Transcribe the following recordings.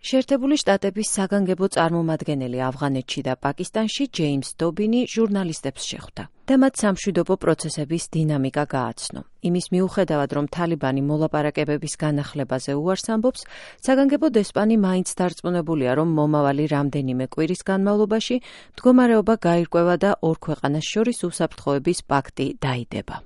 შეერთებული შტატების საგანგებო წარმომადგენელი ავღანეთში და პაკისტანში ჯეიმს დობინი ჟურნალისტებს შეხვდა და მათ სამშვიდობო პროცესების დინამიკა გააცნო. იმის მიუხედავად, რომ თალიბანი მოლაპარაკებების განახლებაზე უარს ამბობს, საგანგებო დესპანი მაინც დარწმუნებულია, რომ მომავალი რამდენიმე კვირის განმავლობაში მდგომარეობა გაირკვევა და ორ ქვეყანას შორის უსაფრთხოების პაქტი დაიდება.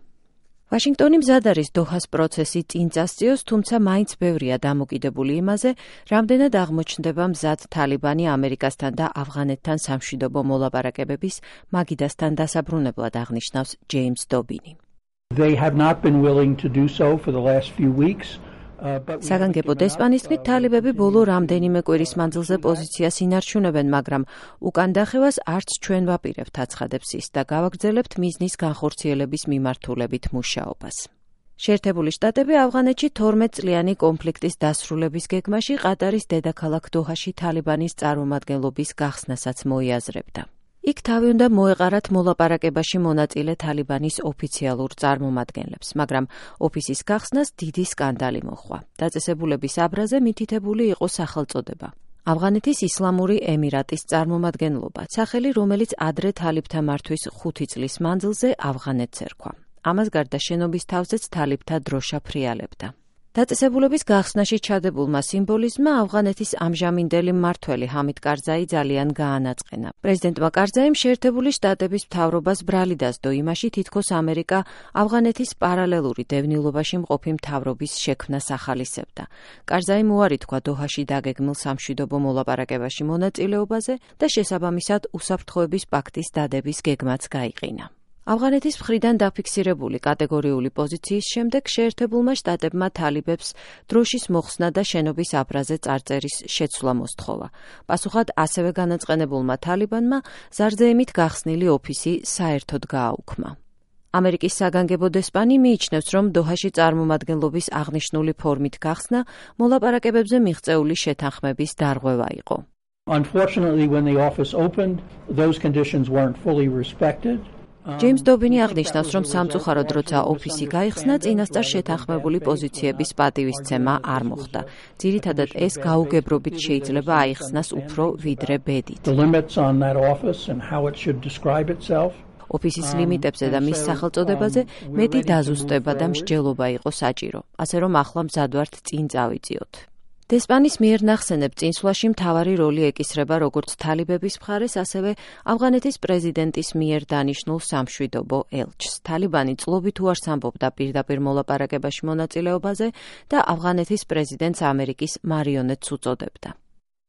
ვაშინგტონი მზად არის დოჰას პროცესი წინ წასწიოს, თუმცა მაინც ბევრია დამოკიდებული იმაზე, რამდენად აღმოჩნდება მზად თალიბანი ამერიკასთან და ავღანეთთან სამშვიდობო მოლაპარაკებების მაგიდასთან დასაბრუნებლად აღნიშნავს ჯეიმს დობინი. They have not been willing to do so for the last few weeks. საგანგებო დესპანის თქმით, თალიბები ბოლო რამდენიმე კვირის მანძილზე პოზიციას ინარჩუნებენ, მაგრამ უკან დახევას არც ჩვენ ვაპირებთ აცხადებს ის და გავაგრძელებთ მიზნის განხორციელების მიმართულებით მუშაობას. შეერთებული შტატები ავღანეთში 12 წლიანი კონფლიქტის დასრულების გეგმაში ყატარის დედაქალაქ დოჰაში თალიბანის წარმომადგენლობის გახსნასაც მოიაზრებდა. იქ თავი უნდა მოეყარათ მოლაპარაკებაში მონაწილე თალიბანის ოფიციალურ წარმომადგენლებს, მაგრამ ოფისის გახსნას დიდი სკანდალი მოჰყვა. დაწესებულების აბრაზე მითითებული იყო სახელწოდება. ავღანეთის ისლამური ემირატის წარმომადგენლობა, სახელი, რომელიც ადრე თალიბთა მართვის 5 წლის მანძილზე ავღანეთს ერქვა. ამას გარდა შენობის თავზეც თალიბთა დროშა ფრიალებდა. დაწესებულების გახსნაში ჩადებულმა სიმბოლიზმმა ავღანეთის ამჟამინდელი მმართველი ჰამიდ კარზაი ძალიან გაანაწყენა. პრეზიდენტმა კარზაიმ შეერთებული შტატების მთავრობას ბრალი დასდო იმაში, თითქოს ამერიკა ავღანეთის პარალელური დევნილობაში მყოფი მთავრობის შექმნას ახალისებდა. კარზაიმ უარი თქვა დოჰაში დაგეგმილ სამშვიდობო მოლაპარაკებაში მონაწილეობაზე და შესაბამისად უსაფრთხოების პაქტის დადების გეგმაც გაიყინა. ავღანეთის მხრიდან დაფიქსირებული კატეგორიული პოზიციის შემდეგ შეერთებულმა შტატებმა თალიბებს დროშის მოხსნა და შენობის აბრაზე წარწერის შეცვლა მოსთხოვა. პასუხად ასევე განაწყენებულმა თალიბანმა ზარზეიმით გახსნილი ოფისი საერთოდ გააუქმა. ამერიკის საგანგებო დესპანი მიიჩნევს, რომ დოჰაში წარმომადგენლობის აღნიშნული ფორმით გახსნა მოლაპარაკებებზე მიღწეული შეთანხმების დარღვევა იყო. Unfortunately, when the office opened, those conditions weren't fully respected. ჯეიმს დობინი აღნიშნავს, რომ სამწუხაროდ როცა ოფისი გაიხსნა, წინასწარ შეთანხმებული პოზიციების პატივისცემა არ მოხდა. ძირითადად ეს გაუგებრობით შეიძლება აიხსნას უფრო ვიდრე ბედით. ოფისის ლიმიტებზე და მის სახელწოდებაზე მეტი დაზუსტება და მსჯელობა იყო საჭირო, ასე რომ ახლა მზად ვართ წინ წავიწიოთ. დესპანის მიერ ნახსენებ წინსვლაში მთავარი როლი ეკისრება როგორც თალიბების მხარეს, ასევე ავღანეთის პრეზიდენტის მიერ დანიშნულ სამშვიდობო ელჩს. თალიბანი წლობით უარს ამბობდა პირდაპირ მოლაპარაკებაში მონაწილეობაზე და ავღანეთის პრეზიდენტს ამერიკის მარიონეტს უწოდებდა.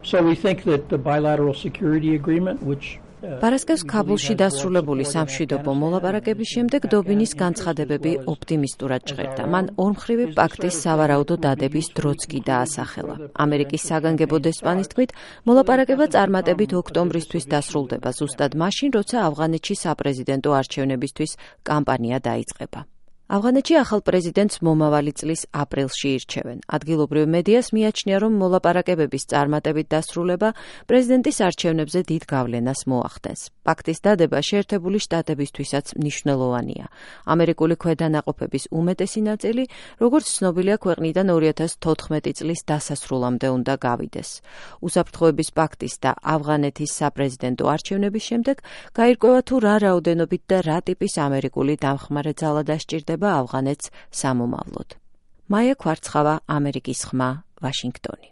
So we think that the bilateral security agreement, which პარასკევს ქაბულში დასრულებული სამშვიდობო მოლაპარაკების შემდეგ დობინის განცხადებები ოპტიმისტურად ჟღერდა. მან ორმხრივი პაქტის სავარაუდო დადების დროც კი დაასახელა. ამერიკის საგანგებო დესპანის თქმით, მოლაპარაკება წარმატებით ოქტომბრისთვის დასრულდება, ზუსტად მაშინ, როცა ავღანეთში საპრეზიდენტო არჩევნებისთვის კამპანია დაიწყება. ავღანეთში ახალ პრეზიდენტს მომავალი წლის აპრილში ირჩევენ. ადგილობრივ მედიას მიაჩნია, რომ მოლაპარაკებების წარმატებით დასრულება პრეზიდენტის არჩევნებზე დიდ გავლენას მოახდენს. პაქტის დადება შეერთებული შტატებისთვისაც მნიშვნელოვანია. ამერიკული ქვედანაყოფების უმეტესი ნაწილი, როგორც ცნობილია, ქვეყნიდან 2014 წლის დასასრულამდე უნდა გავიდეს. უსაფრთხოების პაქტის და ავღანეთის საპრეზიდენტო არჩევნების შემდეგ გაირკვევა თუ რა რაოდენობით და რა ტიპის ამერიკული დამხმარე ძალა დასჭირდება ავღანეთს სამომავლოდ. მაია ქვარცხავა, ამერიკის ხმა, ვაშინგტონი.